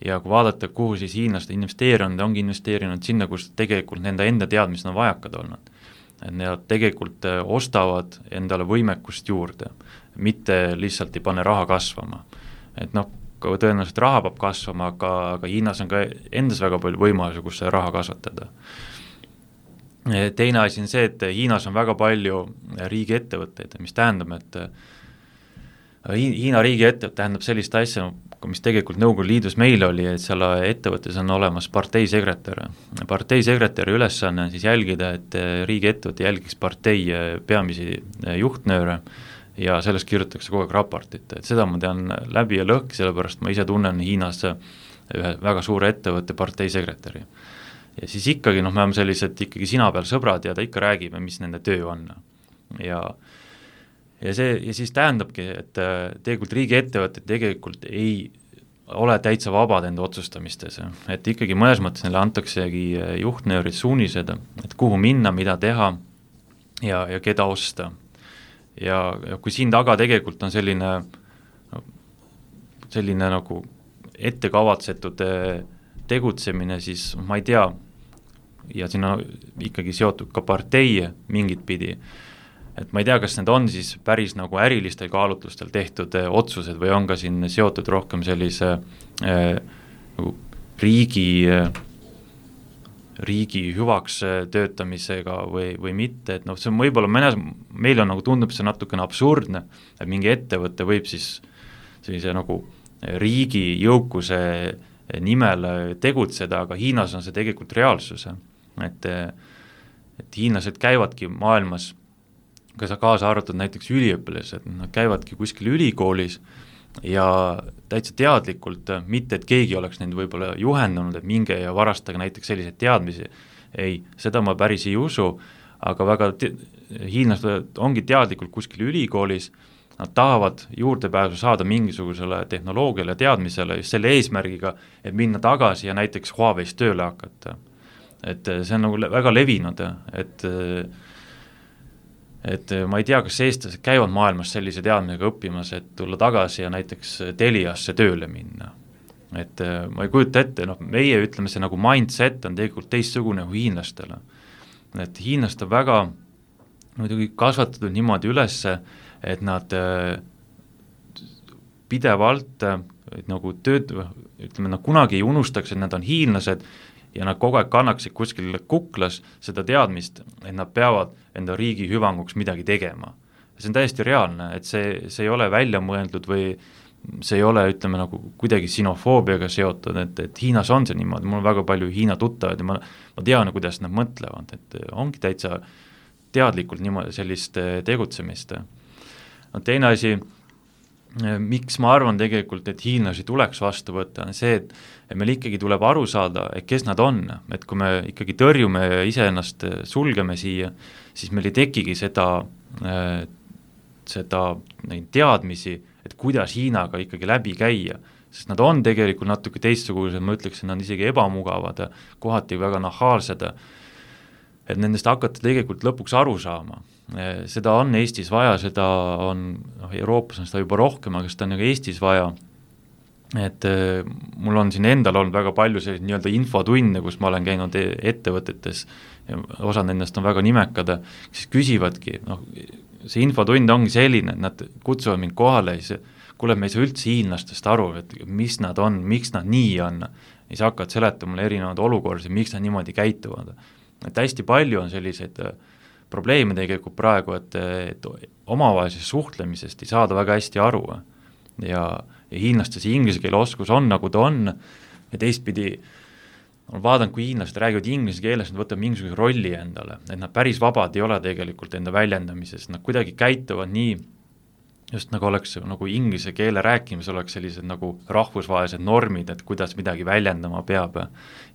Ja kui vaadata, kuhu siis hiinlased investeerinud, ongi investeerinud sinna, kus tegelikult nende enda teadmised on vajakad olnud. Et nad tegelikult ostavad endale võimekust juurde, mitte lihtsalt ei pane raha kasvama. Et tõenäoliselt raha peab kasvama, aga Hiinas on ka endas väga palju võimalusi, kus see raha kasvatada. Teine asi on see, et Hiinas on väga palju riigiettevõtteid, mis tähendab, et Hiina riigiettevõte tähendab sellist asja, mis tegelikult Nõukogude Liidus meil oli, et seal ettevõttes on olemas parteisekretär. Parteisekretäri ülesanne on siis jälgida, et riigiettevõte jälgiks partei peamisi juhtnööre ja sellest kirjutatakse kogu aeg raportit, et seda ma tean läbi ja lõhki, sellepärast ma ise tunnen Hiinas ühe väga suure ettevõtte parteisekretäri. Ja siis ikkagi, me oleme sellised ikkagi sina peal sõbrad ja ta ikka räägib, mis nende töö on. Ja siis tähendabki, et tegelikult riigiettevõtted tegelikult ei ole täitsa vabad enda otsustamistes, et ikkagi mõnes mõttes neile antaksegi juhtnöörid suunised, et kuhu minna, mida teha ja keda osta. Ja kui siin taga tegelikult on selline nagu ettekavatsetud tegutsemine, siis ma ei tea, ja siin on ikkagi seotud ka partei mingit pidi, et ma ei tea, kas need on siis päris nagu ärilistel kaalutlustel tehtud otsused või on ka siin seotud rohkem sellise nagu riigi hüvaks töötamisega või mitte, et see on võib-olla meil on nagu tundub see natukene absurdne, et mingi ettevõte võib siis sellise nagu riigi jõukuse nimel tegutseda, aga Hiinas on see tegelikult reaalsus, et hiinlased käivadki maailmas, kaasa arvatud näiteks üliõpilased, nad käivadki kuskil ülikoolis ja täitsa teadlikult, mitte et keegi oleks neid võib-olla juhendanud, et minge ja varastage näiteks selliseid teadmisi, ei, seda ma päris ei usu, aga väga hiinlased ongi teadlikult kuskil ülikoolis, nad tahavad juurdepääsu saada mingisugusele tehnoloogiale ja teadmisele just selle eesmärgiga, et minna tagasi ja näiteks Huawei's tööle hakata. Et see on nagu väga levinud, et ma ei tea, kas eestlased käivad maailmas sellise teadmisega õppimas, et tulla tagasi ja näiteks Teliasse tööle minna. Et ma ei kujuta ette, meie ütleme see nagu mindset on tegelikult teistsugune kui hiinlastele. Et hiinlast on väga muidugi kasvatatud niimoodi ülesse, et nad pidevalt nagu ütleme, nad kunagi ei unustaks, et nad on hiinlased ja nad kogu aeg kannaksid kuskil kuklas seda teadmist, et nad peavad enda riigi hüvanguks midagi tegema. See on täiesti reaalne, et see ei ole välja mõeldud või see ei ole, ütleme, nagu kuidagi sinofoobiaga seotud, et Hiinas on see niimoodi, mul on väga palju Hiina tuttavad ja ma tean, kuidas nad mõtlevad, et ongi täitsa teadlikult niimoodi sellist tegutsemist. Teine asi, miks ma arvan tegelikult, et hiinlasi tuleks vastu võtta, on see, et meil ikkagi tuleb aru saada, et kes nad on, et kui me ikkagi tõrjume ja iseennast sulgeme siia, siis meil ei tekigi seda teadmisi, et kuidas Hiinaga ikkagi läbi käia, sest nad on tegelikult natuke teistsugused, ma ütleksin, nad isegi ebamugavad, kohati väga nahaalsed, et nendest hakata tegelikult lõpuks aru saama. Seda on Eestis vaja, seda on, Euroopas on seda juba rohkem, aga seda on nagu Eestis vaja, et mul on siin endal olnud väga palju selliseid nii-öelda infotunne, kus ma olen käinud ettevõtetes, osad nendest on väga nimekad, siis küsivadki, see infotund ongi selline, et nad kutsuvad mind kohale ja siis kuule, me ei saa üldse hiinlastest aru, et mis nad on, miks nad nii on, ja siis hakkavad seletama mulle erinevad olukordi, miks nad niimoodi käituvad. Et hästi palju on selliseid probleeme tegelikult praegu, et omavahelisest suhtlemisest ei saada väga hästi aru ja hiinlastes inglise keele oskus on, nagu ta on, ja teistpidi olen vaadanud, kui hiinlased räägivad inglise keeles, nad võtavad mingisuguse rolli endale, et nad päris vabad ei ole tegelikult enda väljendamises, nad kuidagi käituvad nii, just nagu oleks nagu inglise keele rääkimis oleks sellised nagu rahvusvahelised normid, et kuidas midagi väljendama peab ja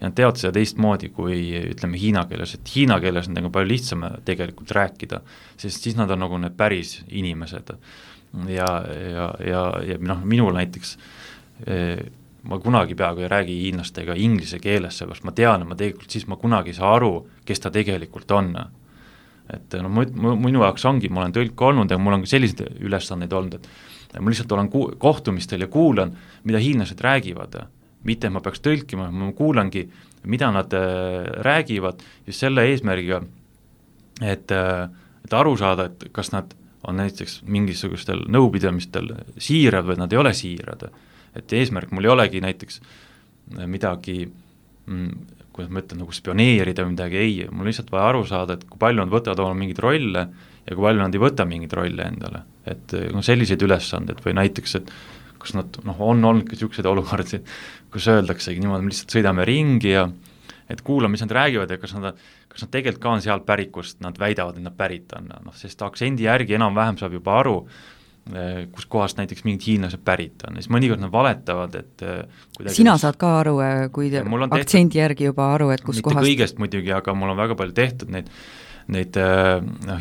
nad teavad seda teistmoodi kui ütleme hiina keeles, et hiina keeles on nagu palju lihtsam tegelikult rääkida, sest siis nad on nagu need päris inimesed ja minul näiteks ma kunagi peaaegu ei räägi hiinlastega inglise keeles, sellepärast ma tean, et ma tegelikult siis ma kunagi ei saa aru, kes ta tegelikult on. Et minu jaoks ongi, ma olen tõlk olnud ja mul on ka selliseid ülesandeid olnud, et ma lihtsalt olen kohtumistel ja kuulan, mida hiinlased räägivad, mitte ma peaks tõlkima, ma kuulangi, mida nad räägivad just selle eesmärgiga, et aru saada, et kas nad on näiteks mingisugustel nõupidamistel siirad või nad ei ole siirad. Et eesmärk mul ei olegi näiteks midagi, kuidas ma ütlen, nagu spioneerida või midagi, ei, mul lihtsalt vaja aru saada, et kui palju nad võtavad oma mingeid rolle ja kui palju nad ei võta mingeid rolle endale. Et selliseid ülesanded või näiteks, et kas nad on olnud ka sellised olukordi, kus öeldaksegi niimoodi, me lihtsalt sõidame ringi ja et kuulame, mis nad räägivad ja kas nad tegelikult ka on sealt pärikust, nad väidavad, et nad pärit on, sest aktsendi järgi enam-vähem saab juba aru, kus kohast näiteks mingid hiinlased pärit on, siis mõnikord nad valetavad, et sina saad ka aru, kui aktsendi järgi juba aru, et kus mitte kohast kõigest muidugi, aga mul on väga palju tehtud neid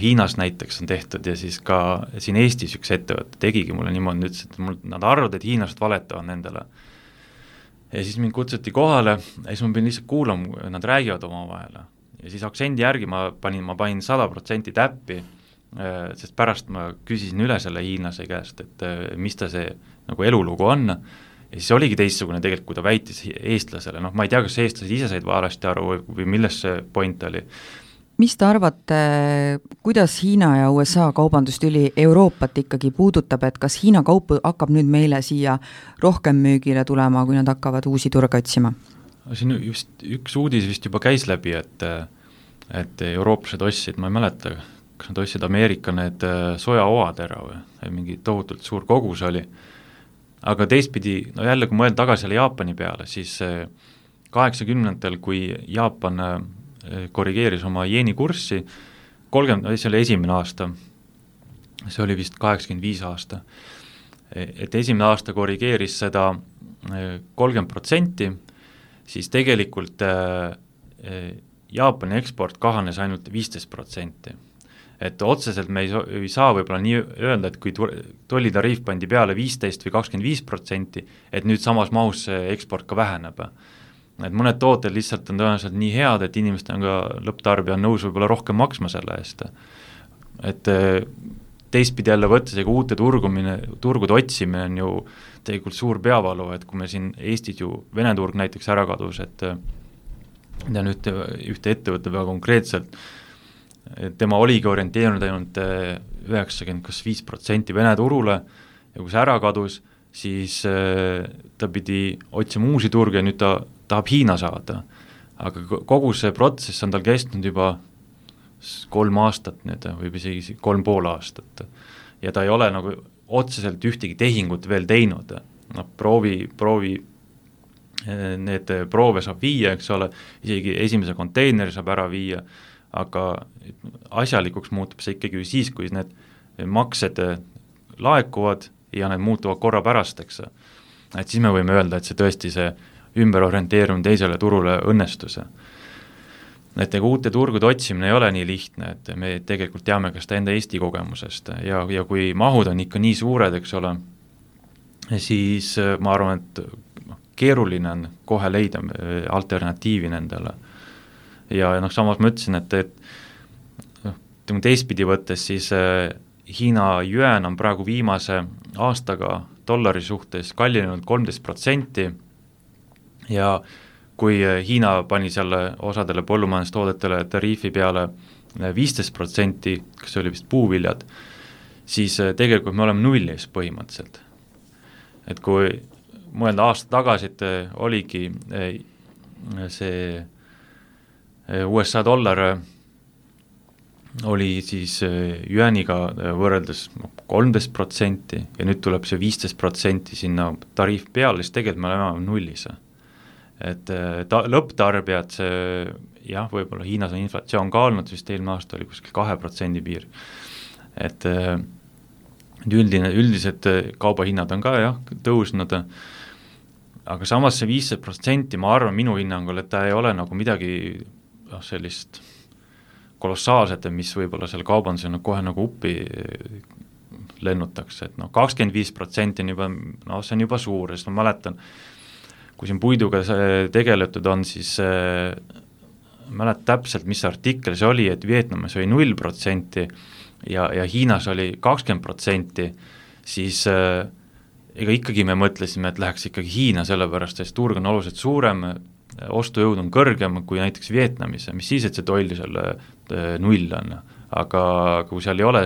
Hiinas näiteks on tehtud ja siis ka siin Eestis üks ettevõte tegigi mulle niimoodi, ütles, et nad arvavad, et hiinlased valetavad nendele ja siis mind kutsuti kohale ja siis ma pidin lihtsalt kuulama, nad räägivad omavahel ja siis aktsendi järgi ma panin 100% täppi, sest pärast ma küsisin üle selle hiinlase käest, et mis ta see nagu elulugu on ja siis oligi teistsugune tegelikult, kui ta väitis eestlasele, ma ei tea, kas eestlased ise said valesti aru või milles see point oli. Mis te arvate, kuidas Hiina ja USA kaubandustüli Euroopat ikkagi puudutab, et kas Hiina kaup hakkab nüüd meile siia rohkem müügile tulema, kui nad hakkavad uusi turge otsima? Siin just üks uudis vist juba käis läbi, et eurooplased ostsid, ma ei mäleta, kas nad ostsid Ameerika need sojaoad ära või mingi tohutult suur kogus oli, aga teistpidi, jälle kui mõelda tagasi selle Jaapani peale, siis 80-ndatel, kui Jaapan korrigeeris oma jeeni kurssi, see oli esimene aasta, see oli vist 85 aasta, et esimene aasta korrigeeris seda 30%, siis tegelikult Jaapani eksport kahanes ainult 15%. Et otseselt me ei saa võib-olla nii öelda, et kui tollitariif pandi peale 15 või 25%, et nüüd samas mahus see eksport ka väheneb. Et mõned tooted lihtsalt on tõenäoliselt nii head, et inimesed on ka lõpptarbija on nõus võib-olla rohkem maksma selle eest. Et teistpidi jälle võttes, ega uute turgude otsimine on ju tegelikult suur peavalu, et kui me siin Eestis ju Vene turg näiteks ära kadus, et tean ühte ettevõtte väga konkreetselt, tema oligi orienteerunud ainult 95% Vene turule ja kui see ära kadus, siis ta pidi otsima uusi turge ja nüüd ta tahab Hiina saada. Aga kogu see protsess on tal kestnud juba 3 aastat nüüd, või isegi 3,5 aastat. Ja ta ei ole nagu otseselt ühtegi tehingut veel teinud. Proovi need proove saab viia, eks ole, isegi esimese konteineri saab ära viia, aga asjalikuks muutub see ikkagi siis, kui need maksed laekuvad ja need muutuvad korra pärast, eks. Et siis me võime öelda, et see tõesti see ümberorienteerumine teisele turule õnnestuse. Et uute turgude otsimine ei ole nii lihtne, et me tegelikult teame ka seda enda Eesti kogemusest ja kui mahud on ikka nii suured, eks ole, siis ma arvan, et keeruline on kohe leida alternatiivi nendele. Ja samas ma ütlesin, et teistpidi võttes siis Hiina yuan on praegu viimase aastaga dollari suhtes kallinenud 13% ja kui Hiina pani selle osadele põllumajandustoodetele tariifi peale 15%, kas see oli vist puuviljad, siis tegelikult me oleme nullis põhimõtteliselt. Et kui mõelda aasta tagasi, et oligi see USA dollar oli siis yuaniga võrreldes 13% ja nüüd tuleb see 15% sinna tariif peale, siis tegelikult me oleme nullis. Et lõpptarbijad, see jah, võib-olla Hiinas on inflatsioon ka olnud, vist eelmine aasta oli kuskil 2% piir. Et üldised kaubahinnad on ka jah, tõusnud, aga samas see 15%, ma arvan minu hinnangul, et ta ei ole nagu midagi sellist kolossaalset, mis võib-olla selle kaubandusena kohe nagu uppi lennutakse, et 25% on juba, see on juba suur, sest ma mäletan, kui siin puiduga tegeletud on, siis mäletan täpselt, mis artikkel see oli, et Vietnamis oli 0% ja Hiinas oli 20%, siis ega ikkagi me mõtlesime, et läheks ikkagi Hiina sellepärast, sest turg on oluliselt suurem, ostujõud on kõrgem kui näiteks Vietnamis, mis siis, et see toll selle 0 on, aga kui seal ei ole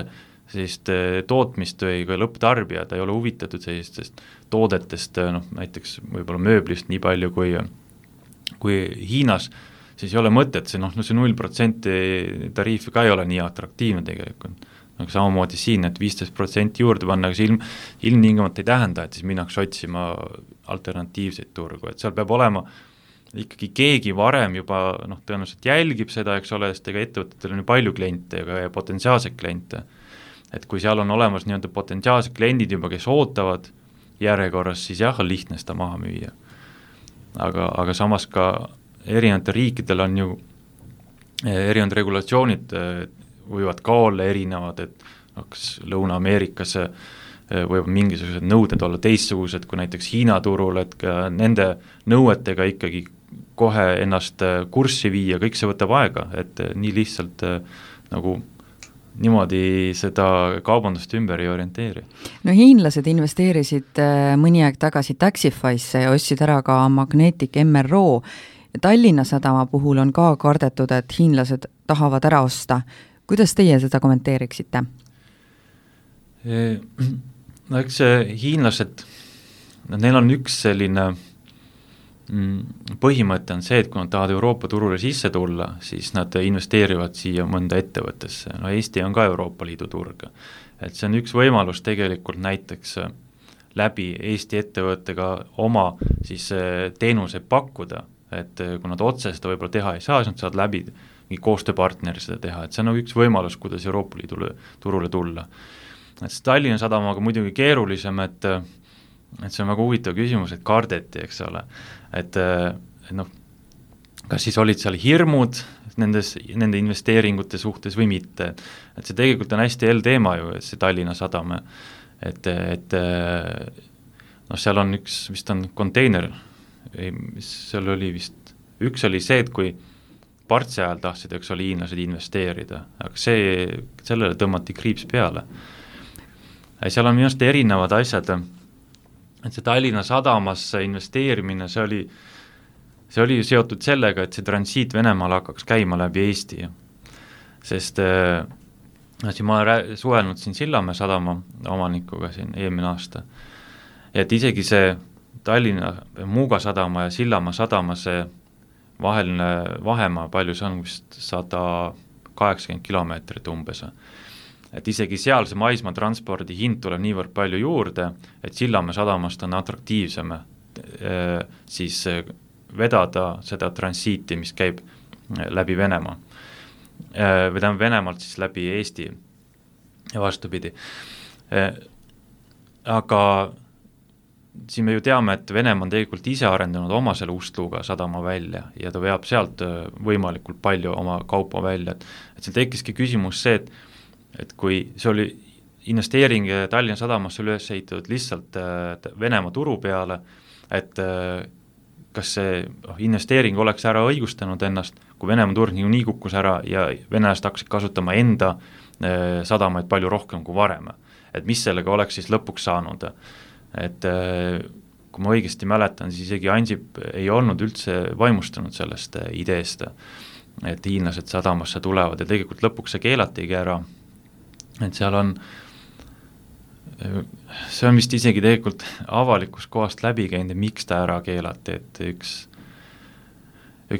sellist tootmist või ka lõpptarbijad ei ole huvitatud sellistest toodetest, näiteks võib-olla mööblist nii palju kui Hiinas, siis ei ole mõtet, see 0% tariifi ka ei ole nii atraktiivne tegelikult. Aga samamoodi siin, et 15% juurde panna, aga see ilmtingimata ei tähenda, et siis minnakse otsima alternatiivseid turgu, et seal peab olema ikkagi keegi varem juba tõenäoliselt jälgib seda, eks ole, sest ega ettevõtetel on ju palju kliente ja potentsiaalseid kliente. Et kui seal on olemas nii-öelda potentsiaalsed kliendid juba, kes ootavad järjekorras, siis jah, on lihtne seda maha müüa. Aga samas ka erinevatel riikidel on ju erinevad regulatsioonid võivad ka olla erinevad, et kas Lõuna-Ameerikas võib mingisugused nõuded olla teistsugused kui näiteks Hiina turul, et ka nende nõuetega ikkagi kohe ennast kurssi viia, kõik see võtab aega, et nii lihtsalt nagu niimoodi seda kaubandust ümber ei orienteeri. No hiinlased investeerisid mõni aeg tagasi Taxify'sse ja ostsid ära ka Magnetic MRO. Tallinna sadama puhul on ka kardetud, et hiinlased tahavad ära osta. Kuidas teie seda kommenteeriksite? No eks hiinlased, neil on üks selline põhimõte on see, et kui nad tahavad Euroopa turule sisse tulla, siis nad investeerivad siia mõnda ettevõttesse. No Eesti on ka Euroopa Liidu turg. Et see on üks võimalus tegelikult näiteks läbi Eesti ettevõttega oma siis teenuseid pakkuda, et kui nad otse seda võib-olla teha ei saa, siis nad saavad läbi koostööpartneri seda teha, et see on üks võimalus, kuidas Euroopa Liidu turule tulla. Et Tallinna sadamaga muidugi keerulisem, et see on väga huvitav küsimus, et kardeti, eks ole, et kas siis olid seal hirmud nende investeeringute suhtes või mitte, et see tegelikult on hästi teema ju, see Tallinna sadam, et seal on vist on konteiner, mis seal oli vist, üks oli see, et kui Partsi ajal tahtsid, eks oli hiinlased investeerida, aga sellele tõmmati kriips peale. Seal on minu arust erinevad asjad, et see Tallinna sadamasse investeerimine, see oli seotud sellega, et see transiit Venemaal hakkaks käima läbi Eesti. Sest siin ma olen suhelnud siin Sillamäe sadama omanikuga siin eelmine aasta, et isegi see Tallinna Muuga sadama ja Sillamäe sadama see vaheline vahemaa, palju see on vist 180 kilomeetrit umbes. Et isegi seal see maismaa transpordi hind tuleb niivõrd palju juurde, et Sillamäe sadamast on atraktiivsem siis vedada seda transiiti, mis käib läbi Venemaa. Vedame Venemaalt siis läbi Eesti ja vastupidi. Aga siin me ju teame, et Venemaa on tegelikult ise arendanud oma selle Ust-Luga sadama välja ja ta veab sealt võimalikult palju oma kaupa välja, et see tekkiski küsimus see, et kui see oli investeering Tallinna Sadamasse üles ehitatud lihtsalt Venemaa turu peale, et kas see investeering oleks ära õigustanud ennast, kui Venemaa turg nii kukkus ära ja venelased hakkasid kasutama enda sadamaid palju rohkem kui varem. Et mis sellega oleks siis lõpuks saanud. Et kui ma õigesti mäletan, siis isegi Ansip ei olnud üldse vaimustunud sellest ideest, et hiinlased sadamasse tulevad ja tegelikult lõpuks see keelatigi ära. Et seal on, see on vist isegi tegelikult avalikus kohast läbi käinud, miks ta ära keelati, et üks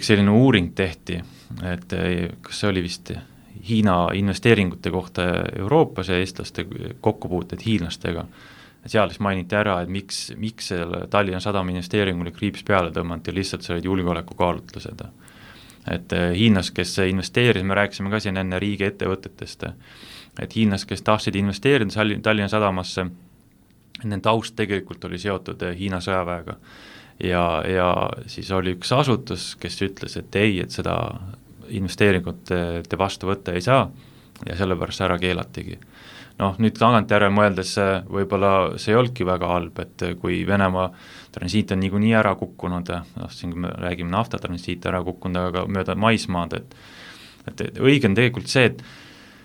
selline uuring tehti, et kas see oli vist Hiina investeeringute kohta Euroopas ja eestlaste kokkupuuted hiinlastega. Seal siis mainiti ära, et miks selle Tallinna Sadama investeeringule kriips peale tõmmati ja lihtsalt see olid julgeolekukaalutlused. Et hiinlas, kes investeeris, me rääkisime ka siin enne riigi ettevõtetest, et hiinlas, kes tahtsid investeerida Tallinna Sadamasse, nende taust tegelikult oli seotud Hiina sõjaväega. Ja siis oli üks asutus, kes ütles, et ei, et seda investeeringut te vastu võtta ei saa ja sellepärast ära keelatigi. Nüüd tagantjärele mõeldes võib-olla see ei olnudki väga halb, et kui Venemaa transiit on niikuinii ära kukkunud, siin me räägime naftatransiit ära kukkunud, aga mööda maismaad, et õige on tegelikult see,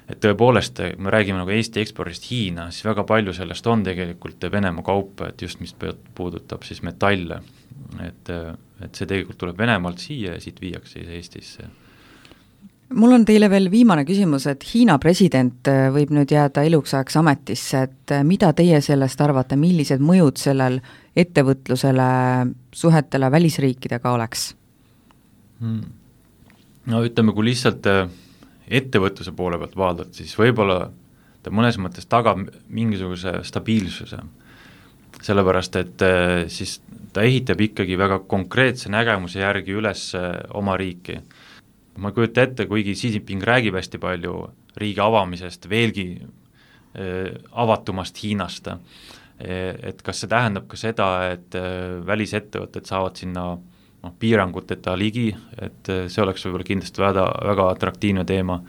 et tõepoolest, me räägime nagu Eesti ekspordist Hiina, siis väga palju sellest on tegelikult Venemaa kaupa, et just mis puudutab siis metalle, et see tegelikult tuleb Venemaalt siia ja siit viiakse Eestisse. Mul on teile veel viimane küsimus, et Hiina president võib nüüd jääda eluks ajaks ametisse, et mida teie sellest arvate, millised mõjud sellel ettevõtlusele, suhetele välisriikidega oleks? Ütleme, kui lihtsalt ettevõtluse poole pealt vaadata, siis võib-olla ta mõnes mõttes tagab mingisuguse stabiilsuse, sellepärast, et siis ta ehitab ikkagi väga konkreetse nägemuse järgi üles oma riiki. Ma kujuta ette, kuigi Xi Jinping räägib hästi palju riigi avamisest, veelgi avatumast Hiinast, et kas see tähendab ka seda, et välisettevõtted saavad sinna piiranguteta ligi, et see oleks võib-olla kindlasti väga atraktiivne teema.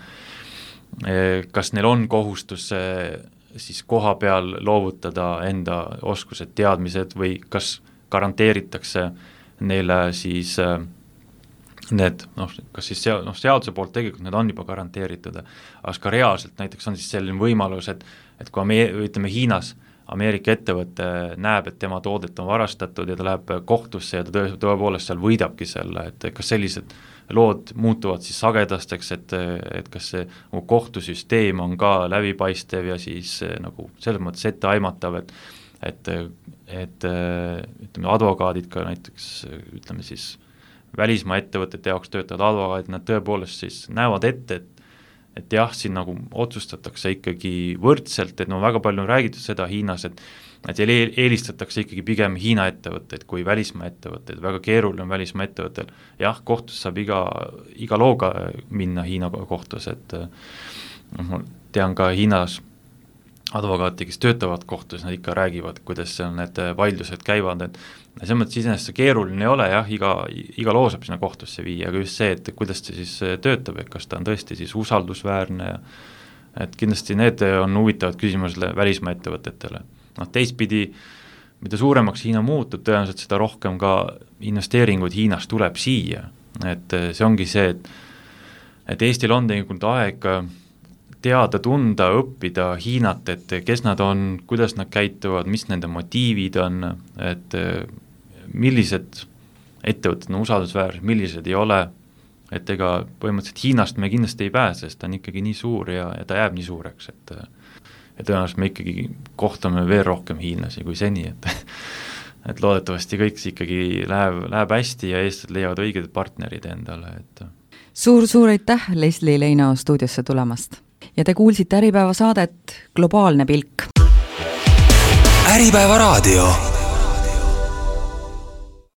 Kas neil on kohustus siis koha peal loovutada enda oskused, teadmised või kas garanteeritakse neile siis need, kas siis seaduse poolt tegelikult need on juba garanteeritud, aga ka reaalselt näiteks on siis selline võimalus, et kui ütleme Hiinas Ameerika ettevõte näeb, et tema toodet on varastatud ja ta läheb kohtusse ja ta tõepoolest seal võidabki selle, et kas sellised lood muutuvad siis sagedasteks, et kas see kohtusüsteem on ka läbipaistev ja siis nagu selles mõttes etteaimatav, et ütleme advokaadid ka näiteks ütleme siis välismaa ettevõtete jaoks töötavad advokaadid, nad tõepoolest siis näevad ette, et jah, siin nagu otsustatakse ikkagi võrdselt, et väga palju on räägitud seda Hiinas, et eelistatakse ikkagi pigem Hiina ettevõtteid kui välismaa ettevõtteid, väga keeruline on välismaa ettevõttel. Jah, kohtus saab iga looga minna Hiina kohtus, et ma tean ka Hiinas advokaati, kes töötavad kohtus, nad ikka räägivad, kuidas seal need vaidlused käivad, et selles mõttes iseenesest see keeruline ei ole, jah, iga loo saab sinna kohtusse viia, aga just see, et kuidas see siis töötab, et kas ta on tõesti siis usaldusväärne, et kindlasti need on huvitavad küsimused välismaa ettevõtetele. Teistpidi, mida suuremaks Hiina muutub, tõenäoliselt seda rohkem ka investeeringuid Hiinast tuleb siia, et see ongi see, et Eestil on tegelikult aeg teada, tunda, õppida Hiinat, et kes nad on, kuidas nad käituvad, mis nende motiivid on, et millised ettevõtted on usaldusväärsed, millised ei ole, et ega põhimõtteliselt Hiinast me kindlasti ei pääse, sest ta on ikkagi nii suur ja ta jääb nii suureks, et tõenäoliselt me ikkagi kohtame veel rohkem hiinlasi kui seni, et loodetavasti kõik ikkagi läheb hästi ja eestlased leiavad õiged partnerid endale, et Suur aitäh Leslie Leino stuudiosse tulemast! Ja te kuulsite Äripäeva saadet Globaalne pilk. Äripäeva raadio.